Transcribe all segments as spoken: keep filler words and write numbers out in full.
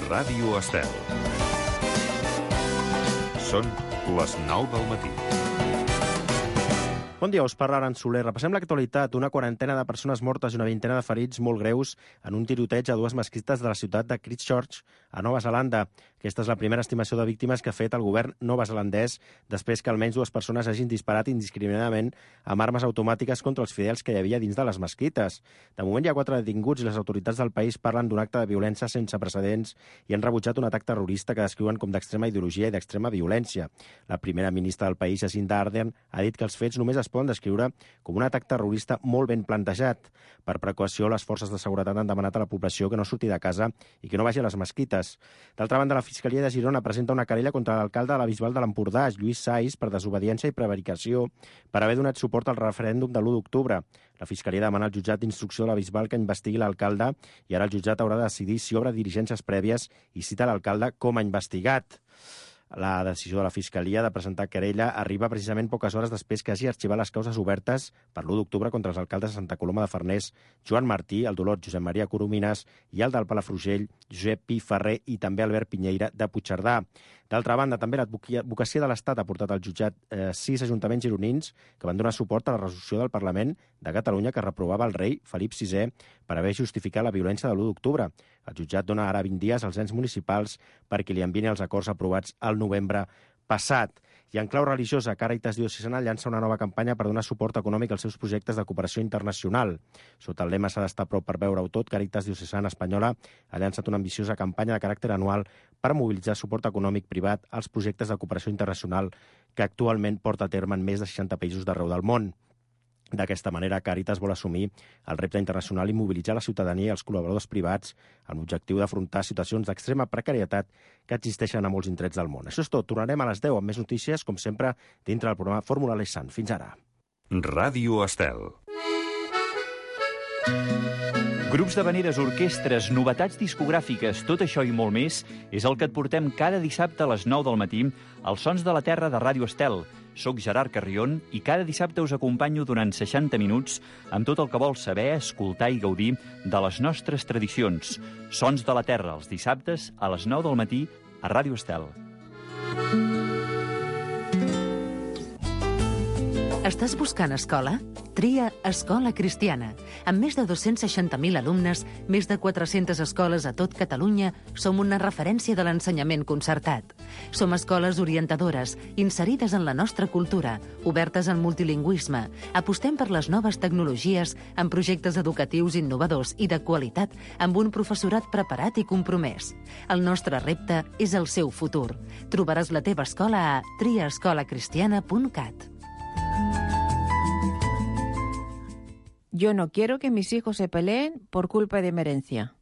Ràdio Estel. Són les nou del matí. Bon dia, us parla Aran Soler. Repassem l'actualitat. Una quarantena de persones mortes i una vintena de ferits molt greus en un tiroteig a dues mesquites de la ciutat de Christchurch, a Nova Zelanda. Aquesta és la primera estimació de víctimes que ha fet el govern neozelandès després que almenys dues persones hagin disparat indiscriminadament amb armes automàtiques contra els fidels que hi havia dins de les mesquites. De moment hi ha quatre detinguts i les autoritats del país parlen d'un acte de violència sense precedents i han rebutjat un atac terrorista que descriuen com d'extrema ideologia i d'extrema violència. La primera ministra del país, Jacinda Ardern, ha dit que els fets només es poden descriure com un atac terrorista molt ben plantejat. Per precaució, les forces de seguretat han demanat a la població que no surti de casa i que no vagi a les mesquites. D'altra banda, la Fiscalia de Girona presenta una querella contra l'alcalde de la Bisbal de l'Empordà, Lluís Sais, per desobediència i prevaricació per haver donat suport al referèndum de l'u d'octubre. La Fiscalia demana al jutjat d'instrucció de la Bisbal que investigui l'alcalde i ara el jutjat haurà de decidir si obre diligències prèvies i cita l'alcalde com a investigat. La decisió de la Fiscalia de presentar querella arriba precisament poques hores després que hagi arxivat les causes obertes per l'u d'octubre contra els alcaldes de Santa Coloma de Farners, Joan Martí, el d'Olot, Josep Maria Coromines, i el del Palafrugell, Josep Pi Ferrer, i també Albert Pinyeira, de Puigcerdà. D'altra banda, també l'advocacia de l'Estat ha portat al jutjat eh, sis ajuntaments gironins que van donar suport a la resolució del Parlament de Catalunya que reprovava el rei Felip sisè per haver justificat la violència de l'u d'octubre. El jutjat dona ara vint dies als ens municipals perquè li envien els acords aprovats al novembre passat. I en clau religiosa, Càritas Diocesana llança una nova campanya per donar suport econòmic als seus projectes de cooperació internacional. Sota el lema "S'ha d'estar a prop per veure-ho tot", Càritas Diocesana Espanyola ha llançat una ambiciosa campanya de caràcter anual per mobilitzar suport econòmic privat als projectes de cooperació internacional que actualment porta a terme en més de seixanta països d'arreu del món. D'aquesta manera, Càritas vol assumir el repte internacional i mobilitzar la ciutadania i els col·laboradors privats amb l'objectiu d'afrontar situacions d'extrema precarietat que existeixen a molts indrets del món. Això és tot. Tornarem a les deu amb més notícies, com sempre, dintre del programa Fórmula Lessant. Fins ara. Ràdio Estel. Grups d'havaneres, orquestres, novetats discogràfiques, tot això i molt més és el que et portem cada dissabte a les nou del matí als Sons de la Terra de Ràdio Estel. Soc Gerard Carrion i cada dissabte us acompanyo durant seixanta minuts amb tot el que vols saber, escoltar i gaudir de les nostres tradicions. Sons de la Terra, els dissabtes a les nou del matí a Ràdio Estel. Estàs buscant escola? Tria Escola Cristiana. Amb més de dos-cents seixanta mil alumnes, més de quatre-centes escoles a tot Catalunya, som una referència de l'ensenyament concertat. Som escoles orientadores, inserides en la nostra cultura, obertes al multilingüisme. Apostem per les noves tecnologies, amb projectes educatius innovadors i de qualitat, amb un professorat preparat i compromès. El nostre repte és el seu futur. Trobaràs la teva escola a tria escola cristiana punt cat. Yo no quiero que mis hijos se peleen por culpa de mi herencia.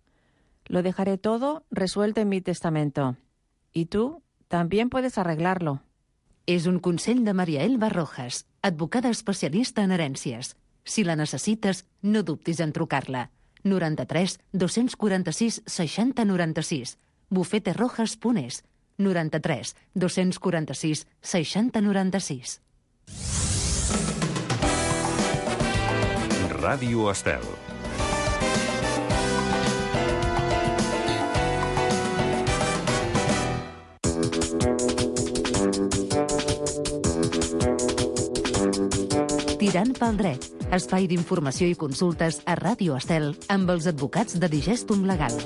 Lo dejaré todo resuelto en mi testamento. Y tú también puedes arreglarlo. És un consell de Maria Elba Rojas, advocada especialista en herències. Si la necessites, no dubtis en trucar-la. noranta-tres dos-cents quaranta-sis seixanta noranta-sis. bufeterojas punt es. noranta-tres dos-cents quaranta-sis seixanta noranta-sis. Ràdio Estel. Tirant pel dret, espai d'informació i consultes a Ràdio Estel amb els advocats de Digestum Legal.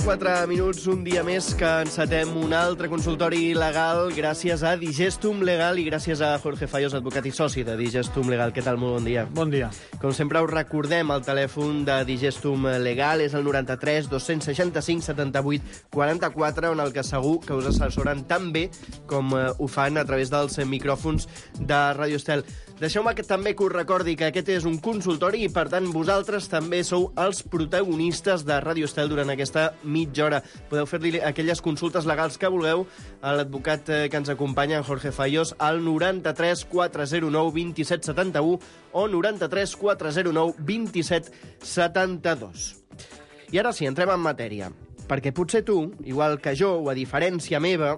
quatre minuts, un dia més que encetem un altre consultori legal gràcies a Digestum Legal i gràcies a Jorge Fallos, advocat i soci de Digestum Legal. Què tal? Molt bon dia. Bon dia. Com sempre us recordem, el telèfon de Digestum Legal és el noranta-tres dos-cents seixanta-cinc setanta-vuit quaranta-quatre, on el que segur que us assessoren tan bé com ho fan a través dels micròfons de Ràdio Estel. Deixeu-me que també que us recordi que aquest és un consultori i, per tant, vosaltres també sou els protagonistes de Ràdio Estel durant aquesta mitja hora. Podeu fer-li aquelles consultes legals que vulgueu a l'advocat que ens acompanya, en Jorge Fallos, al noranta-tres quatre zero nou vint-i-set setanta-u o noranta-tres quatre zero nou vint-i-set setanta-dos. I ara sí, entrem en matèria. Perquè potser tu, igual que jo, o a diferència meva,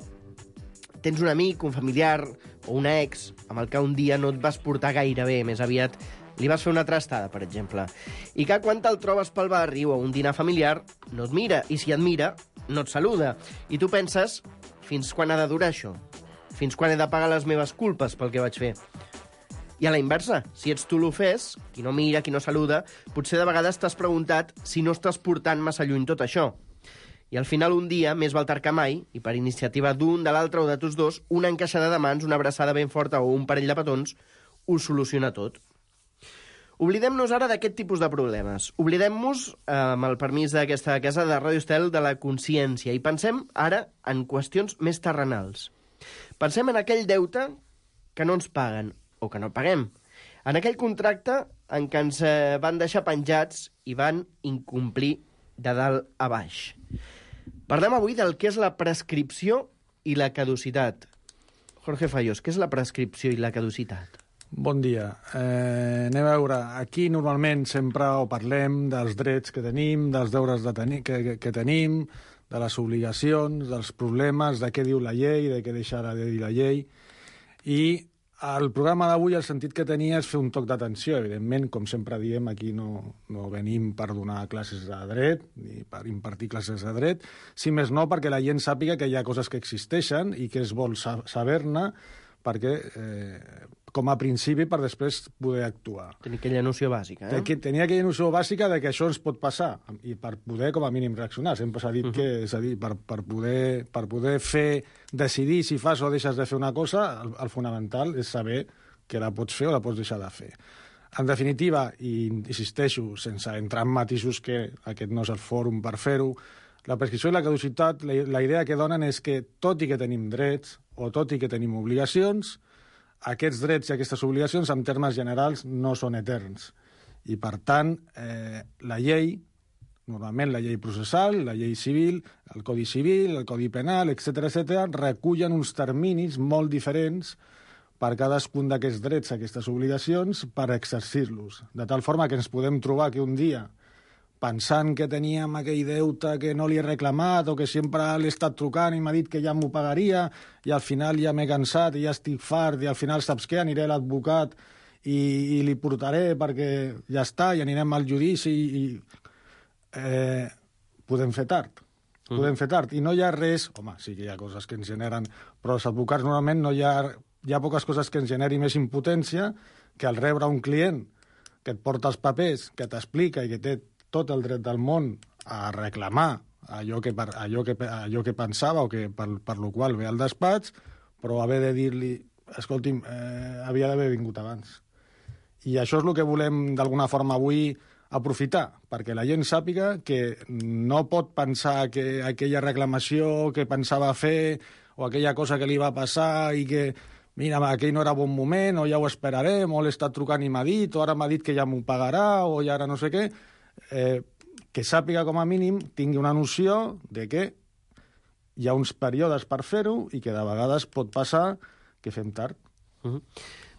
tens un amic, un familiar o un ex amb el que un dia no et vas portar gaire bé, més aviat li vas fer una trastada, per exemple, i que quan te'l trobes pel barri o a un dinar familiar no et mira, i si et mira, no et saluda. I tu penses, fins quan ha de durar això? Fins quan he de pagar les meves culpes pel que vaig fer? I a la inversa, si ets tu l'ofès, qui no mira, qui no saluda, potser de vegades t'has preguntat si no estàs portant massa lluny tot això. I al final un dia, més val tard que mai, i per iniciativa d'un, de l'altre o de tots dos, una encaixada de mans, una abraçada ben forta o un parell de petons, ho soluciona tot. Oblidem-nos ara d'aquest tipus de problemes. Oblidem-nos, eh, amb el permís d'aquesta casa de Ràdio Estel, de la consciència, i pensem ara en qüestions més terrenals. Pensem en aquell deute que no ens paguen, o que no paguem. En aquell contracte en què ens eh, van deixar penjats i van incomplir de dalt a baix. Parlem avui del que és la prescripció i la caducitat. Jorge Fayos, què és la prescripció i la caducitat? Bon dia. Eh, anem a veure, aquí normalment sempre o parlem dels drets que tenim, dels deures de tenir, que, que, que tenim, de les obligacions, dels problemes, de què diu la llei, de què deixarà de dir la llei. I el programa d'avui, el sentit que tenia és fer un toc d'atenció. Evidentment, com sempre diem, aquí no, no venim per donar classes de dret, ni per impartir classes de dret, si més no perquè la gent sàpiga que hi ha coses que existeixen i que es vol saber-ne perquè, eh, com a principi, per després poder actuar. Tenir aquella noció bàsica, eh? Tenir aquella noció bàsica de que això ens pot passar i per poder, com a mínim, reaccionar. Sempre s'ha dit uh-huh. que, és a dir, per, per, poder, per poder fer, decidir si fas o deixes de fer una cosa, el, el fonamental és saber que la pots fer o la pots deixar de fer. En definitiva, i insisteixo, sense entrar en matisos que aquest no és el fòrum per fer-ho, la prescripció i la caducitat, la, la idea que donen és que, tot i que tenim drets o tot i que tenim obligacions, aquests drets i aquestes obligacions, en termes generals, no són eterns. I, per tant, eh, la llei, normalment la llei processal, la llei civil, el Codi Civil, el Codi Penal, etcètera, etcètera, recullen uns terminis molt diferents per cadascun d'aquests drets, aquestes obligacions, per exercir-los. De tal forma que ens podem trobar que un dia, pensant que teníem aquell deute que no li he reclamat o que sempre l'he estat trucant i m'ha dit que ja m'ho pagaria i al final ja m'he cansat i ja estic fart i al final saps què? Aniré a l'advocat i, i li portaré perquè ja està i anirem al judici i eh, podem fer tard. Podem fer tard. I no hi ha res... Home, sí que hi ha coses que ens generen... Però els advocats normalment no hi ha... Hi ha poques coses que ens generi més impotència que al rebre un client que et porta els papers, que t'explica i que té tot el dret del món a reclamar allò que, allò que, allò que pensava o que per, per lo qual ve al despatx, però haver de dir-li, escolti'm, eh, havia d'haver vingut abans. I això és el que volem d'alguna forma avui aprofitar, perquè la gent sàpiga que no pot pensar que aquella reclamació que pensava fer o aquella cosa que li va passar i que, mira, aquell no era bon moment, o ja ho esperarem, o l'he estat trucant i m'ha dit, o ara m'ha dit que ja m'ho pagarà, o ja ara no sé què, Eh, que sàpiga com a mínim, tingui una noció de que hi ha uns períodes per fer-ho i que de vegades pot passar que fem tard. Uh-huh.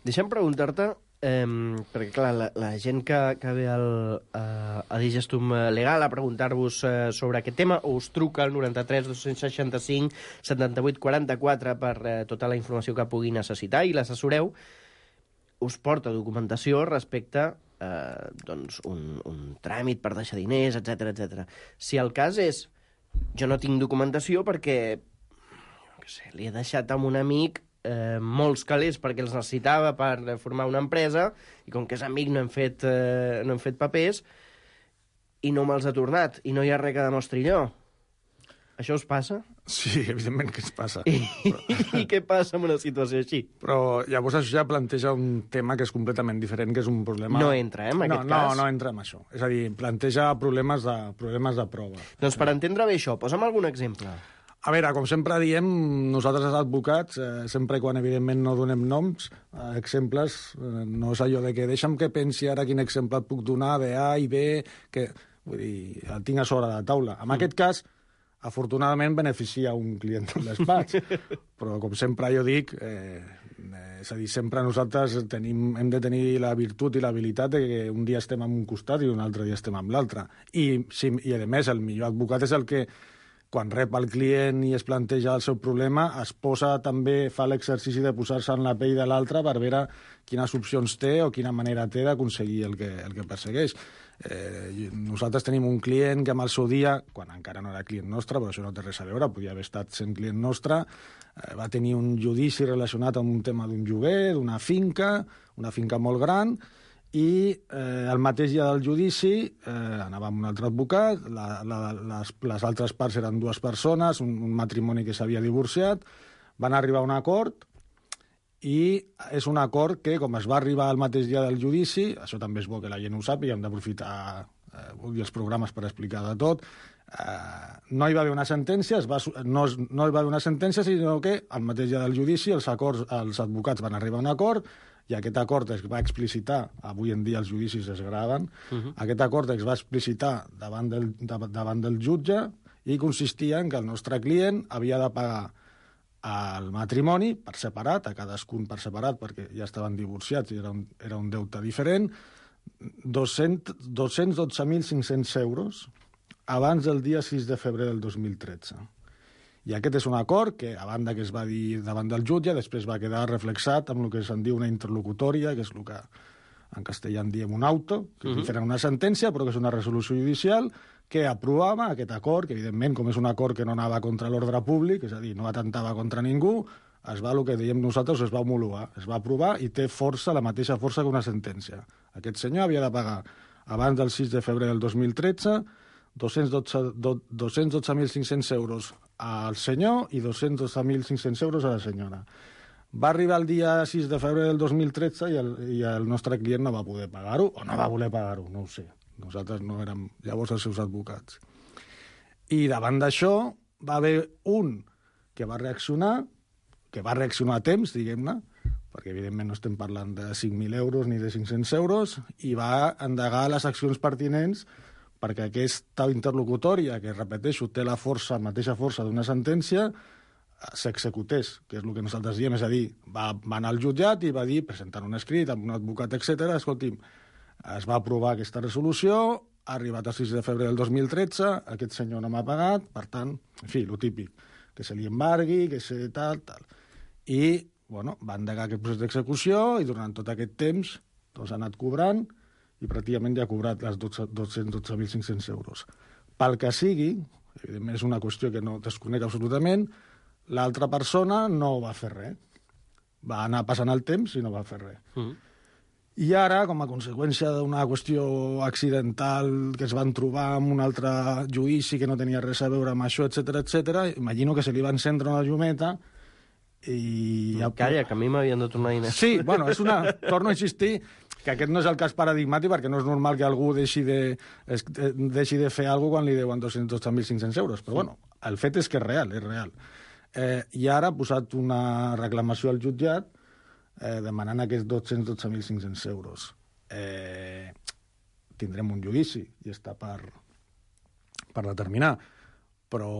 Deixa'm preguntar-te, eh, perquè clar, la, la gent que, que ve al, a, a Digestum Legal a preguntar-vos eh, sobre aquest tema, o us truca al noranta-tres dos seixanta-cinc setanta-vuit quaranta-quatre per eh, tota la informació que pugui necessitar i l'assessoreu, us porta documentació respecte Eh, doncs un, un tràmit per deixar diners, etcètera, etcètera. Si el cas és, jo no tinc documentació perquè, jo què sé, li he deixat amb un amic eh, molts calés perquè els necessitava per formar una empresa i com que és amic no hem fet, eh, no hem fet papers i no me'ls ha tornat i no hi ha res que demostri allò. Això us passa? Sí, evidentment que ens passa. I, però... I què passa en una situació així? Però llavors això ja planteja un tema que és completament diferent, que és un problema... No entra, eh, en aquest no, cas? No, no entra en això. És a dir, planteja problemes de, problemes de prova. Doncs per entendre bé això, posa'm algun exemple. A veure, com sempre diem, nosaltres els advocats, eh, sempre i quan evidentment no donem noms, eh, exemples, eh, no és allò de que deixa'm que pensi ara quin exemple et puc donar de A i B, que vull dir, el tinc a sobre de la taula. En mm. aquest cas, afortunadament beneficia un client del despatx, però com sempre jo dic, eh, és a dir, sempre nosaltres tenim, hem de tenir la virtut i l'habilitat de que un dia estem en un costat i un altre dia estem en l'altre. I, sí, i a més, el millor advocat és el que quan rep el client i es planteja el seu problema, es posa també, fa l'exercici de posar-se en la pell de l'altre per veure quines opcions té o quina manera té d'aconseguir el que, el que persegueix. Eh, nosaltres tenim un client que amb el seu dia, quan encara no era client nostre, però això no té res a veure, podia haver estat sent client nostre, eh, va tenir un judici relacionat amb un tema d'un lloguer, d'una finca, una finca molt gran, i eh, el mateix dia del judici eh, anava amb un altre advocat, la, la, les, les altres parts eren dues persones, un, un matrimoni que s'havia divorciat, van arribar a un acord, i és un acord que, com es va arribar el mateix dia del judici, això també és bo que la gent ho sàpiga, hem d'aprofitar eh, els programes per explicar de tot, eh, no hi va haver una sentència, es va, no, no hi va haver una sentència, sinó que el mateix dia del judici els, acords, els advocats van arribar a un acord, i aquest acord es va explicitar, avui en dia els judicis es graven, uh-huh. aquest acord es va explicitar davant del, davant del jutge i consistia en que el nostre client havia de pagar al matrimoni per separat, a cadascun per separat, perquè ja estaven divorciats i era un, era un deute diferent, dos-cents dotze mil cinc-cents euros abans del dia sis de febrer del dos mil tretze. I aquest és un acord que, a banda que es va dir davant del jutge, després va quedar reflexat amb el que se'n diu una interlocutòria, que és el que en castellà en diem un auto, que és uh-huh. diferent una sentència, però que és una resolució judicial que aprovava aquest acord, que evidentment, com és un acord que no anava contra l'ordre públic, és a dir, no atentava contra ningú, es va, el que dèiem nosaltres, es va homologar, es va aprovar i té força, la mateixa força que una sentència. Aquest senyor havia de pagar, abans del sis de febrer del dos mil tretze, dos-cents dotze mil cinc-cents euros al senyor i dos-cents dotze mil cinc-cents euros a la senyora. Va arribar el dia sis de febrer del dos mil tretze i el, i el nostre client no va poder pagar-ho, o no va voler pagar-ho, no ho sé. Nosaltres no érem llavors els seus advocats. I davant d'això va haver un que va reaccionar, que va reaccionar a temps, diguem-ne, perquè evidentment no estem parlant de cinc mil euros ni de cinc-cents euros, i va endegar les accions pertinents perquè aquesta interlocutòria, que repeteixo, té la força, la mateixa força d'una sentència, s'executés, que és el que nosaltres diem, és a dir, va, va anar al jutjat i va dir, presentant un escrit amb un advocat, etcètera, escolti'm, es va aprovar aquesta resolució, ha arribat el sis de febrer del dos mil tretze, aquest senyor no m'ha pagat, per tant, en fi, lo típic, que se li embargui, que se tal, tal. I, bueno, va endegar aquest procés d'execució i durant tot aquest temps doncs, ha anat cobrant i pràcticament ja ha cobrat les dos-cents dotze mil cinc-cents euros. Pel que sigui, evidentment és una qüestió que no desconec absolutament, l'altra persona no va fer res. Va anar passant el temps i no va fer res. Mm. I ara, com a conseqüència d'una qüestió accidental que es van trobar amb un altre judici que no tenia res a veure amb això, etcètera, etcètera, imagino que se li va encendre una llumeta i... Ja... Calla, que a mi m'havien de tornar a diners. Sí, bueno, és una... Torno a insistir que aquest no és el cas paradigmàtic perquè no és normal que algú deixi de, es, deixi de fer alguna cosa quan li deuen dos-cents dotze mil cinc-cents euros. Però, bueno, el fet és que és real, és real. Eh, I ara ha posat una reclamació al jutjat eh, demanant aquests dos-cents dotze mil cinc-cents euros. Eh, tindrem un judici i està per, per determinar. Però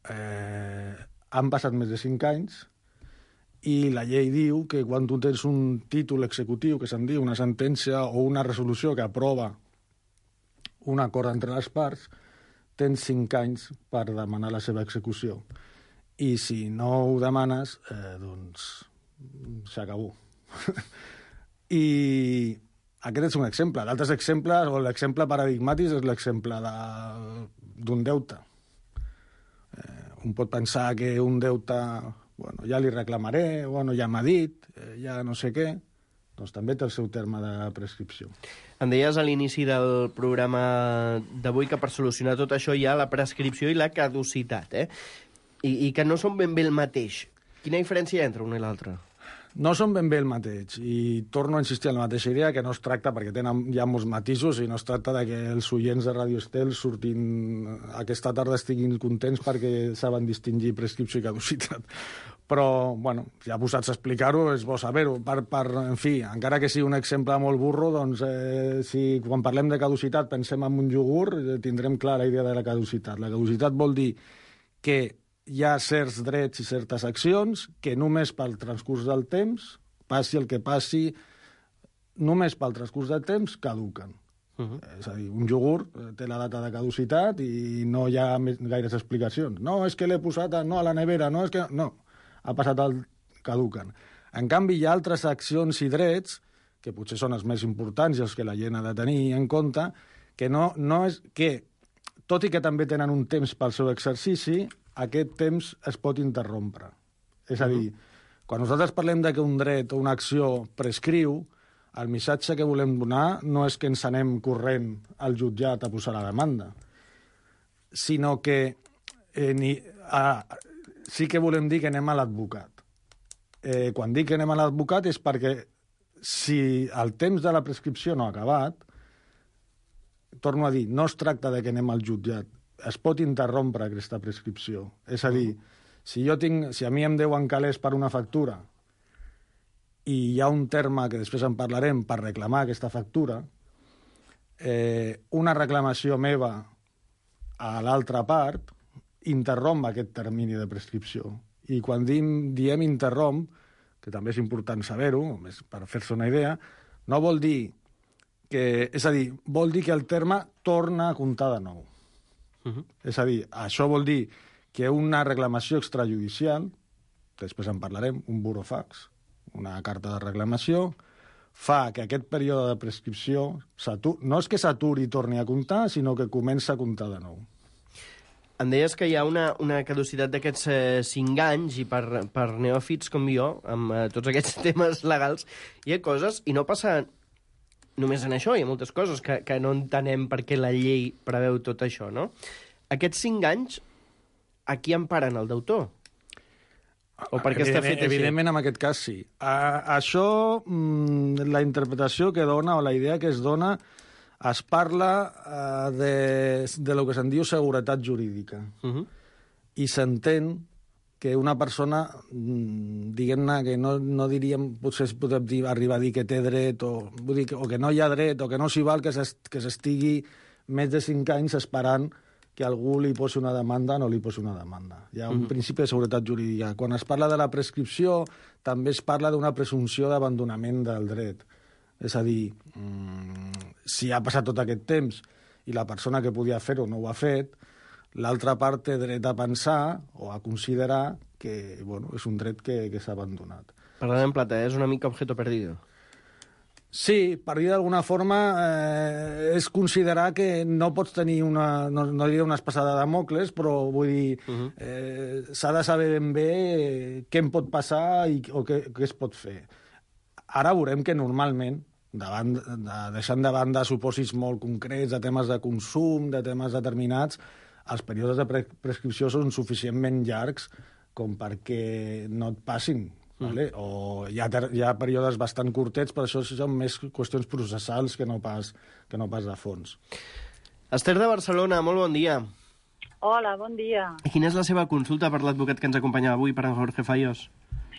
eh, han passat més de cinc anys i la llei diu que quan tu tens un títol executiu, que se'n diu una sentència o una resolució que aprova un acord entre les parts, tens cinc anys per demanar la seva execució. I si no ho demanes, eh, doncs s'acabó. I aquest és un exemple. D'altres exemples, o l'exemple paradigmàtic és l'exemple d'un deute. Eh, un pot pensar que un deute... Bueno, ja li reclamaré, bueno, ja m'ha dit, eh, ja no sé què, doncs també té el seu terme de prescripció. Em deies a l'inici del programa d'avui que per solucionar tot això hi ha la prescripció i la caducitat, eh? I, i que no són ben bé el mateix. Quina diferència hi ha entre una i l'altra? No són ben bé el mateix, i torno a insistir en la mateixa idea, que no es tracta, perquè tenen ja molts matisos, i no es tracta de que els oients de Radio Estel surtin aquesta tarda estiguin contents perquè saben distingir prescripció i caducitat. Però, bueno, ja posats a explicar-ho, és bo saber-ho. Per, per, en fi, encara que sigui un exemple molt burro, doncs, eh, si quan parlem de caducitat pensem en un iogurt, eh, tindrem clara la idea de la caducitat. La caducitat vol dir que hi ha certs drets i certes accions que només pel transcurs del temps, passi el que passi, només pel transcurs del temps caduquen. Uh-huh. És a dir, un iogurt té la data de caducitat i no hi ha més, gaires explicacions. No, és que l'he posat a, no, a la nevera, no, és que... No, ha passat el caduquen. En canvi, hi ha altres accions i drets, que potser són els més importants i els que la gent ha de tenir en compte, que no, no és... que, tot i que també tenen un temps pel seu exercici, aquest temps es pot interrompre. És a dir, uh-huh. quan nosaltres parlem de que un dret o una acció prescriu, el missatge que volem donar no és que ens anem corrent al jutjat a posar la demanda, sinó que eh, ni, a, sí que volem dir que anem a l'advocat. Eh, quan dic que anem a l'advocat és perquè si el temps de la prescripció no ha acabat, torno a dir, no es tracta de que anem al jutjat, es pot interrompre aquesta prescripció. És a dir, si, jo tinc, si a mi em deuen calés per una factura i hi ha un terme que després en parlarem per reclamar aquesta factura, eh, una reclamació meva a l'altra part interromp aquest termini de prescripció. I quan diem, diem interromp, que també és important saber-ho, per fer-se una idea, no vol dir que... És a dir, vol dir que el terme torna a comptar de nou. Uh-huh. És a dir, això vol dir que una reclamació extrajudicial, després en parlarem, un burofax, una carta de reclamació, fa que aquest període de prescripció no és que s'aturi i torni a comptar, sinó que comença a comptar de nou. Em deies que hi ha una, una caducitat d'aquests eh, cinc anys i per, per neòfits com jo, amb eh, tots aquests temes legals, hi ha coses, i no passa només en això, hi ha moltes coses que, que no entenem per què la llei preveu tot això, no? Aquests cinc anys, a qui emparen el deutor? O per què està fet així? Evidentment, en aquest cas, sí. A, això, mmm, la interpretació que dona, o la idea que es dona, es parla uh, de, de lo que se'n diu seguretat jurídica. Uh-huh. I s'entén que una persona, diguem-ne, que no, no diríem, potser es pot dir, arribar a dir que té dret, o, vull dir, o que no hi ha dret, o que no s'hi val que s'estigui més de cinc anys esperant que algú li posi una demanda o no li posi una demanda. Hi ha un uh-huh. principi de seguretat jurídica. Quan es parla de la prescripció, també es parla d'una presumpció d'abandonament del dret. És a dir, mmm, si ha passat tot aquest temps i la persona que podia fer-ho no ho ha fet, l'altra part té dret a pensar o a considerar que bueno, és un dret que, que s'ha abandonat. Parlant en plata, és una mica objeto perdido. Sí, per dir d'alguna forma, eh, és considerar que no pots tenir una, no, no diré una espassada de Damocles, però vull dir, uh-huh. eh, s'ha de saber ben bé què em pot passar i, o què, què es pot fer. Ara veurem que normalment, davant, de, deixant de banda supòsits molt concrets de temes de consum, de temes determinats, els períodes de pre prescripció són suficientment llargs com perquè no et passin. Vale? O hi ha, hi ha períodes bastant curtets, però això són més qüestions processals que no pas, que no pas de fons. Esther de Barcelona, molt bon dia. Hola, bon dia. Quina és la seva consulta per l'advocat que ens acompanya avui, per en Jorge Fallos?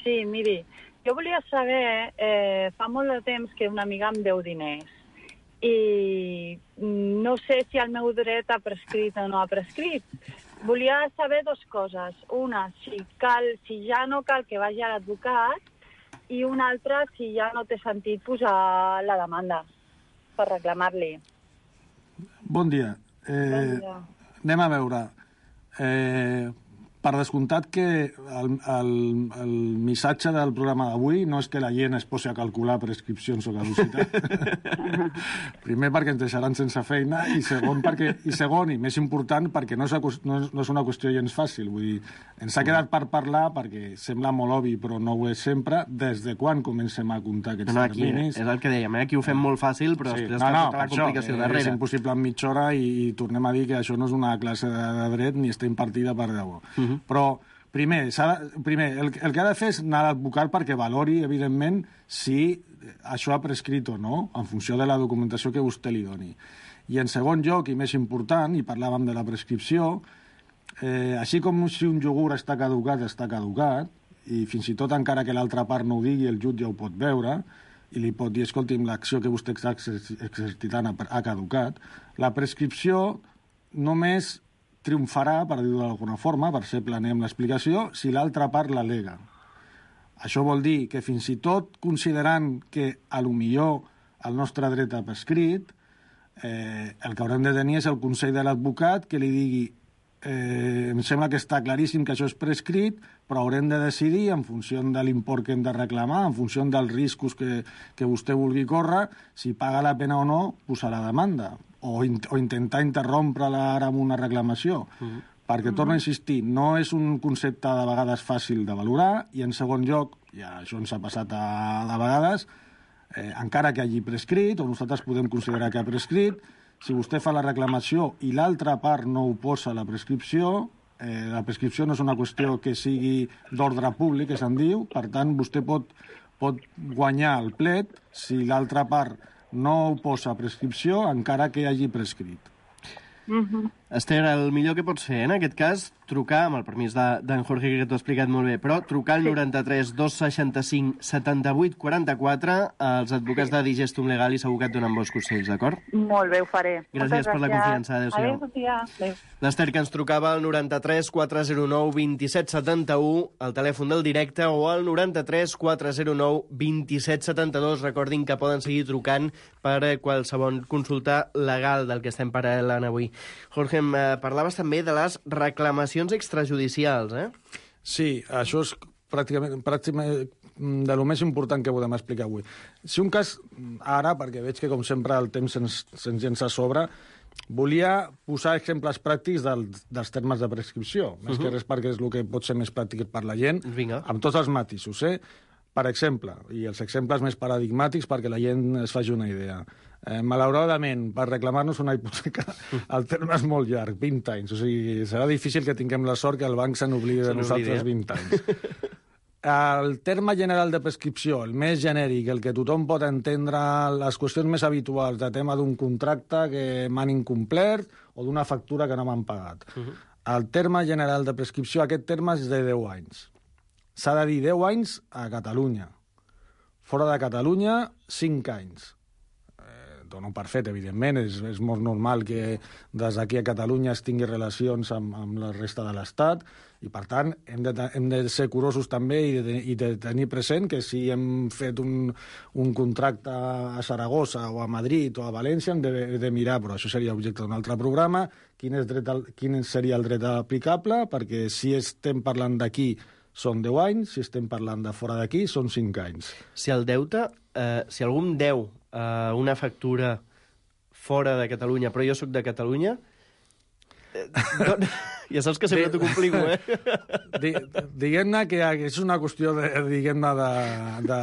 Sí, miri, jo volia saber, eh, fa molt de temps que una amiga em deu diners i no sé si el meu dret ha prescrit o no ha prescrit. Volia saber dues coses. Una, si, cal, si ja no cal que vagi a l'advocat i una altra, si ja no té sentit posar la demanda per reclamar-li. Bon dia. Eh, bon dia. Anem a veure. Eh, per descomptat que el, el, el missatge del programa d'avui no és que la gent es posi a calcular prescripcions o caducitat. Primer, perquè ens deixaran sense feina, i segon, perquè, i segon, i més important, perquè no és, no, no és una qüestió gens fàcil. Vull dir, ens ha quedat per parlar, perquè sembla molt obvi, però no ho és sempre, des de quan comencem a comptar aquests no, no, aquí, terminis. És el que dèiem, eh? Aquí ho fem molt fàcil, però sí, després no, està no, tota la això, complicació eh, darrere. És impossible en mitja hora, i, i tornem a dir que això no és una classe de, de dret ni està impartida per debò. Uh-huh. Però, primer, de, primer el, el que ha de fer és anar a l'advocat perquè valori, evidentment, si això ha prescrit o no, en funció de la documentació que vostè li doni. I en segon lloc, i més important, i parlàvem de la prescripció, eh, així com si un iogurt està caducat, està caducat, i fins i tot encara que l'altra part no ho digui, el jutge ho pot veure, i li pot dir, escolti'm, l'acció que vostè està exercitant ha caducat, la prescripció només triomfarà, per dir-ho d'alguna forma, per ser planer amb l'explicació, si l'altra part l'alega. Això vol dir que fins i tot considerant que a lo millor el nostre dret ha prescrit, eh, el que haurem de tenir és el consell de l'advocat que li digui eh, em sembla que està claríssim que això és prescrit, però haurem de decidir en funció de l'import que hem de reclamar, en funció dels riscos que, que vostè vulgui córrer, si paga la pena o no posar la demanda, o, in, o intentar interrompre-la ara amb una reclamació. Mm. Perquè, torno a insistir, no és un concepte de vegades fàcil de valorar, i en segon lloc, ja això ens ha passat a, a vegades, eh, encara que hagi prescrit, o nosaltres podem considerar que ha prescrit, si vostè fa la reclamació i l'altra part no oposa la prescripció, eh, la prescripció no és una qüestió que sigui d'ordre públic, que se'n diu, per tant, vostè pot, pot guanyar el plet si l'altra part no oposa prescripció, encara que hagi prescrit. Mm-hmm. Esther, el millor que pots fer en aquest cas, trucar, amb el permís d'en Jorge, que t'ho ha explicat molt bé, però trucar al sí. noranta-tres dos seixanta-cinc setanta-vuit quaranta-quatre als advocats sí. de Digestum Legal i segur que et donen bons consells, d'acord? Molt bé, ho faré. Gràcies, gràcies per la confiança. Adéu-siau. Adéu. L'Esther, que ens trucava al noranta-tres quatre zero nou vint set setanta-u, al telèfon del directe, o al noranta-tres quatre zero nou vint set setanta-dos. Recordin que poden seguir trucant per qualsevol consulta legal del que estem parlant avui. Jorge, em parlaves també de les reclamacions extrajudicials, eh? Sí, això és pràcticament, pràcticament de lo més important que podem explicar avui. Si un cas, ara, perquè veig que com sempre el temps se'ns se'ns llença a sobre, volia posar exemples pràctics del, dels termes de prescripció, més uh-huh. que res perquè és el que pot ser més pràctic per la gent, Vinga. Amb tots els matisos, eh? Per exemple, i els exemples més paradigmàtics perquè la gent es faci una idea. Eh, malauradament, per reclamar-nos una hipoteca, el terme és molt llarg, vint anys. O sigui, serà difícil que tinguem la sort que el banc se n'oblidi de nosaltres vint anys. El terme general de prescripció, el més genèric, el que tothom pot entendre, les qüestions més habituals de tema d'un contracte que m'han incomplert o d'una factura que no m'han pagat. Uh-huh. El terme general de prescripció, aquest terme és de deu anys. S'ha de dir deu anys a Catalunya. Fora de Catalunya, cinc anys. Eh, dono per fet, evidentment, és, és molt normal que des d'aquí a Catalunya es tingui relacions amb, amb la resta de l'Estat i, per tant, hem de, hem de ser curosos també i de, i de tenir present que si hem fet un, un contracte a Saragossa o a Madrid o a València hem de, de mirar, però això seria objecte d'un altre programa, quin, és dret, quin seria el dret aplicable, perquè si estem parlant d'aquí són deu anys, si estem parlant de fora d'aquí, són cinc anys. Si el deute, eh, si algú em deu eh, una factura fora de Catalunya, però jo sóc de Catalunya, eh, no, ja saps que sempre t'ho complico, eh? Diguem-ne que és una qüestió de, diguem-ne, de, de,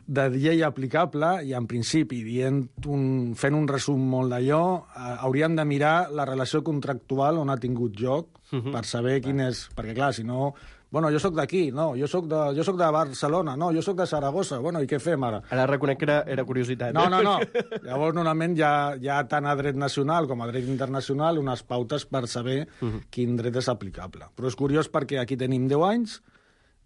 de llei aplicable i, en principi, dient un, fent un resum molt d'allò, eh, hauríem de mirar la relació contractual on ha tingut lloc uh-huh. per saber quin és... Perquè, clar, si no... Bueno, jo sóc d'aquí, no, jo sóc de, jo sóc de Barcelona, no, jo sóc de Saragossa, bueno, i què fem ara? Ara reconec que era, era curiositat. No, no, no. Llavors, normalment, hi ha, hi ha tant a dret nacional com a dret internacional unes pautes per saber uh-huh. quin dret és aplicable. Però és curiós perquè aquí tenim deu anys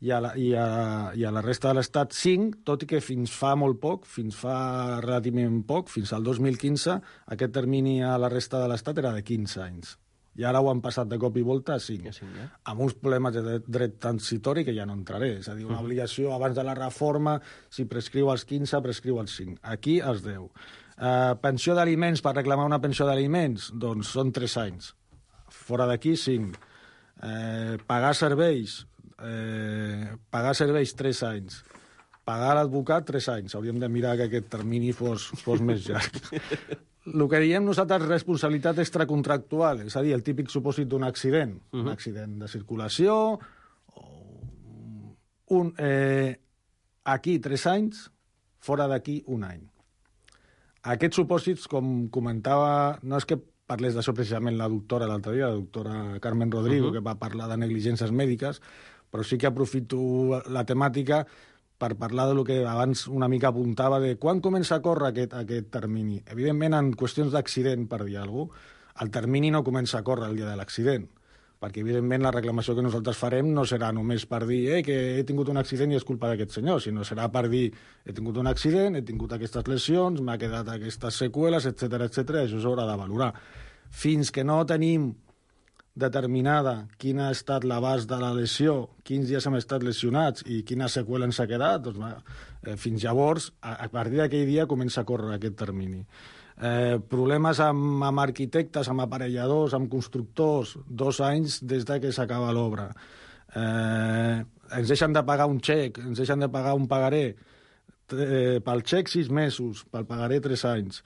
i a la, i a, i a la resta de l'Estat cinc, tot i que fins fa molt poc, fins fa relativament poc, fins al dos mil quinze, aquest termini a la resta de l'Estat era de quinze anys. I ara ho han passat de cop i volta a cinc, sí, ja. amb uns problemes de dret, dret transitori que ja no entraré. És a dir, una obligació abans de la reforma, si prescriu als quinze, prescriu als cinc. Aquí als deu. Uh, pensió d'aliments, per reclamar una pensió d'aliments, doncs són tres anys. Fora d'aquí, cinc. Uh, pagar serveis, uh, pagar serveis, tres anys. Pagar l'advocat, tres anys. Hauríem de mirar que aquest termini fos, fos més llarg. El que diem nosaltres responsabilitat extracontractual, és a dir, el típic supòsit d'un accident, uh-huh. un accident de circulació, o un, eh, aquí tres anys, fora d'aquí un any. Aquests supòsits, com comentava, no és que parlés d'això precisament la doctora l'altre dia, la doctora Carmen Rodrigo, uh-huh. que va parlar de negligències mèdiques, però sí que aprofito la temàtica per parlar del que abans una mica apuntava de quan comença a córrer aquest, aquest termini. Evidentment, en qüestions d'accident, per dir alguna cosa, el termini no comença a córrer el dia de l'accident, perquè, evidentment, la reclamació que nosaltres farem no serà només per dir eh, que he tingut un accident i és culpa d'aquest senyor, sinó serà per dir he tingut un accident, he tingut aquestes lesions, m'ha quedat aquestes seqüeles, etcètera, etcètera, això s'haurà de valorar. Fins que no tenim determinada quina ha estat l'abast de la lesió, quins dies hem estat lesionats i quina seqüela ens ha quedat, doncs, eh, fins llavors, a, a partir d'aquell dia comença a córrer aquest termini. Eh, problemes amb, amb arquitectes, amb aparelladors, amb constructors, dos anys des de que s'acaba l'obra. Eh, ens deixen de pagar un xec, ens deixen de pagar un pagaré, eh, pel xec sis mesos, pel pagaré tres anys.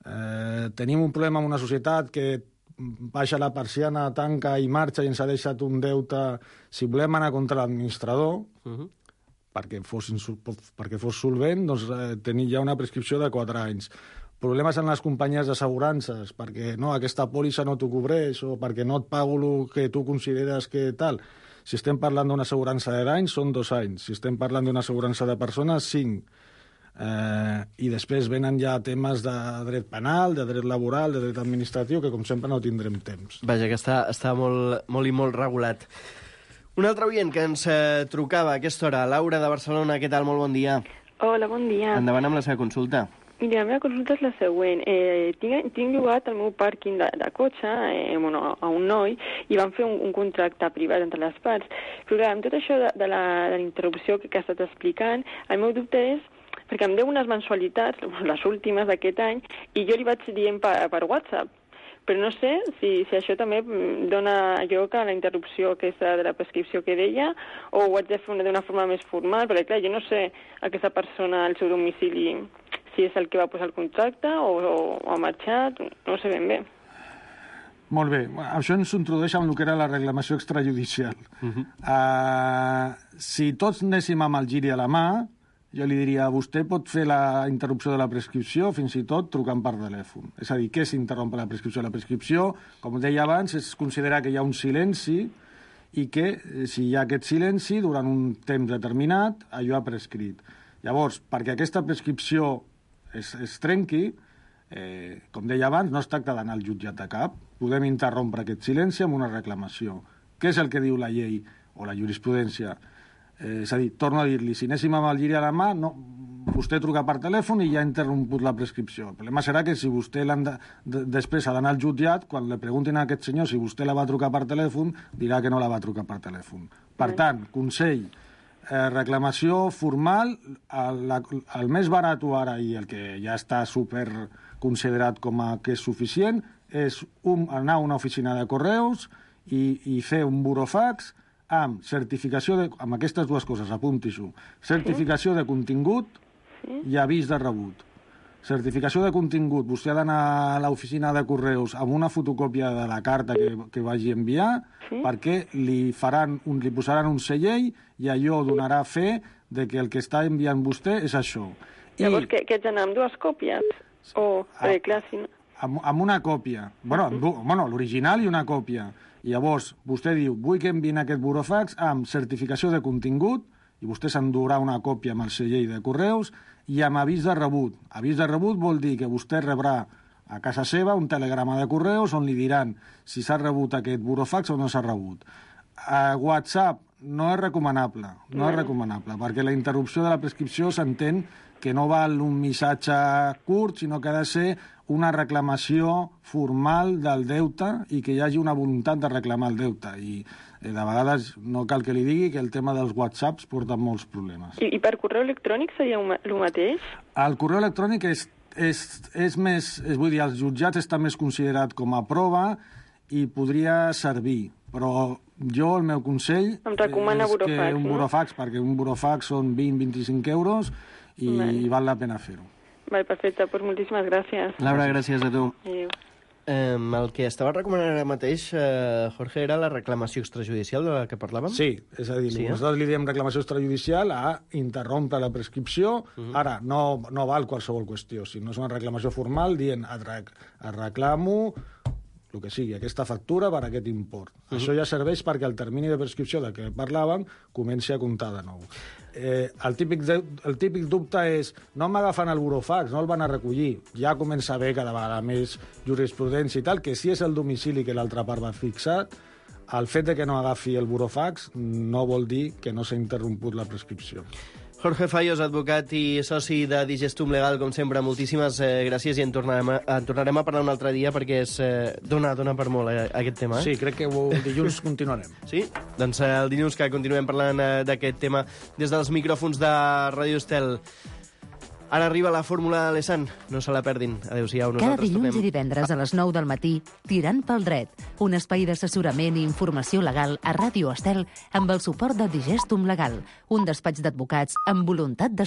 Eh, tenim un problema amb una societat que baixa la persiana, tanca i marxa i ens ha deixat un deute. Si volem anar contra l'administrador, uh-huh. perquè, fos perquè fos solvent, doncs eh, tenir ja una prescripció de quatre anys. Problemes en les companyies d'assegurances, perquè no, aquesta pòlissa no t'ho cobreix o perquè no et pago el que tu consideres que tal. Si estem parlant d'una assegurança de danys, són dos anys. Si estem parlant d'una assegurança de persones, cinc. Eh, I després venen ja temes de dret penal, de dret laboral, de dret administratiu, que com sempre no tindrem temps. Vaja, que està, està molt, molt i molt regulat. Un altre oient que ens eh, trucava a aquesta hora, Laura de Barcelona, què tal? Molt bon dia. Hola, bon dia. Endavant amb la seva consulta. Mira, la meva consulta és la següent. Eh, tinc, tinc llogat el meu pàrquing de, de cotxe eh, bueno, a un noi i van fer un, un contracte privat entre les parts. Però clar, amb tot això de, de, la, de la interrupció que, que ha estat explicant, el meu dubte és perquè em deu unes mensualitats, les últimes d'aquest any, i jo li vaig dient per, per WhatsApp. Però no sé si, si això també dona lloc a la interrupció aquesta de la prescripció que deia o ho haig de fer d'una forma més formal, perquè clar, jo no sé aquesta persona al seu domicili si és el que va posar el contracte o, o, o ha marxat, no ho sé ben bé. Molt bé. Això ens introdueix amb el que era la reclamació extrajudicial. Uh-huh. Uh, si tots anéssim amb el giri a la mà, jo li diria, vostè pot fer la interrupció de la prescripció fins i tot trucant per telèfon. És a dir, què s'interrompe la prescripció? La prescripció, com deia abans, és considerar que hi ha un silenci i que, si hi ha aquest silenci, durant un temps determinat, allò ha prescrit. Llavors, perquè aquesta prescripció es, es trenqui, eh, com deia abans, no es tracta d'anar al jutjat de cap, podem interrompre aquest silenci amb una reclamació. Què és el que diu la llei o la jurisprudència? Eh, és a dir, torno a dir-li, si anéssim amb el giri a la mà, no, vostè truca per telèfon i ja ha interromput la prescripció. El problema serà que si vostè de, de, després ha d'anar al jutjat, quan li preguntin a aquest senyor si vostè la va trucar per telèfon, dirà que no la va trucar per telèfon. Per tant, consell, eh, reclamació formal, el, la, el més barat ara i el que ja està super considerat com a que és suficient és un, anar a una oficina de correus i, i fer un burofax amb certificació de... amb aquestes dues coses, apunti-s'ho. Certificació de contingut i avís de rebut. Certificació de contingut. Vostè ha d'anar a l'oficina de correus amb una fotocòpia de la carta que, que vagi enviar sí? perquè li, faran un, li posaran un sellell i allò donarà fe de que el que està enviant vostè és això. Llavors, I... que, que ets d'anar amb dues còpies? O, ah, clar, si no... amb, amb una còpia. Bueno, uh-huh. bueno l'original i una còpia. I llavors, vostè diu, vull que enviïn aquest burofax amb certificació de contingut, i vostè s'endurà una còpia amb el segell de correus, i amb avís de rebut. Avís de rebut vol dir que vostè rebrà a casa seva un telegrama de correus on li diran si s'ha rebut aquest burofax o no s'ha rebut. A WhatsApp no és recomanable, no és recomanable, perquè la interrupció de la prescripció s'entén que no val un missatge curt, sinó que ha de ser una reclamació formal del deute i que hi hagi una voluntat de reclamar el deute. I eh, de vegades no cal que li digui que el tema dels WhatsApps porta molts problemes. I, i per correu electrònic seria el mateix? El correu electrònic és, és, és més... És, vull dir, els jutjats està més considerat com a prova i podria servir, però jo, el meu consell em recomana és burofax, que un burofax, no? Perquè un burofax són vint a vint-i-cinc euros i vale. Val la pena fer-ho. Vale, perfecte, doncs moltíssimes gràcies. Laura, gràcies a tu. Adéu. Eh, el que estava recomanant ara mateix, eh, Jorge, era la reclamació extrajudicial de la que parlàvem? Sí, és a dir, sí, nosaltres eh? li diem reclamació extrajudicial a interrompre la prescripció. Uh-huh. Ara, no, no val qualsevol qüestió. Si no és una reclamació formal, dient et, rec et reclamo el que sigui, aquesta factura per aquest import. Uh-huh. Això ja serveix perquè el termini de prescripció de què parlàvem comenci a comptar de nou. Eh, el, típic de, el típic dubte és no m'agafen el burofax, no el van a recollir. Ja comença a haver cada vegada més jurisprudència i tal, que si és el domicili que l'altra part va fixar, el fet de que no agafi el burofax no vol dir que no s'ha interromput la prescripció. Jorge Fallos, advocat i soci de Digestum Legal, com sempre, moltíssimes eh, gràcies i en tornarem, a, en tornarem a parlar un altre dia perquè és, eh, dona, dona per molt eh, aquest tema. Eh? Sí, crec que el dilluns continuarem. Sí? Doncs eh, el dilluns que continuem parlant eh, d'aquest tema des dels micròfons de Ràdio Estel. Ara arriba la fórmula de l'Essan. No se la perdin. Adéu-siau. Cada Nosaltres dilluns tornem... i divendres a les nou del matí, Tirant pel dret, un espai d'assessorament i informació legal a Ràdio Estel amb el suport de Digestum Legal, un despatx d'advocats amb voluntat de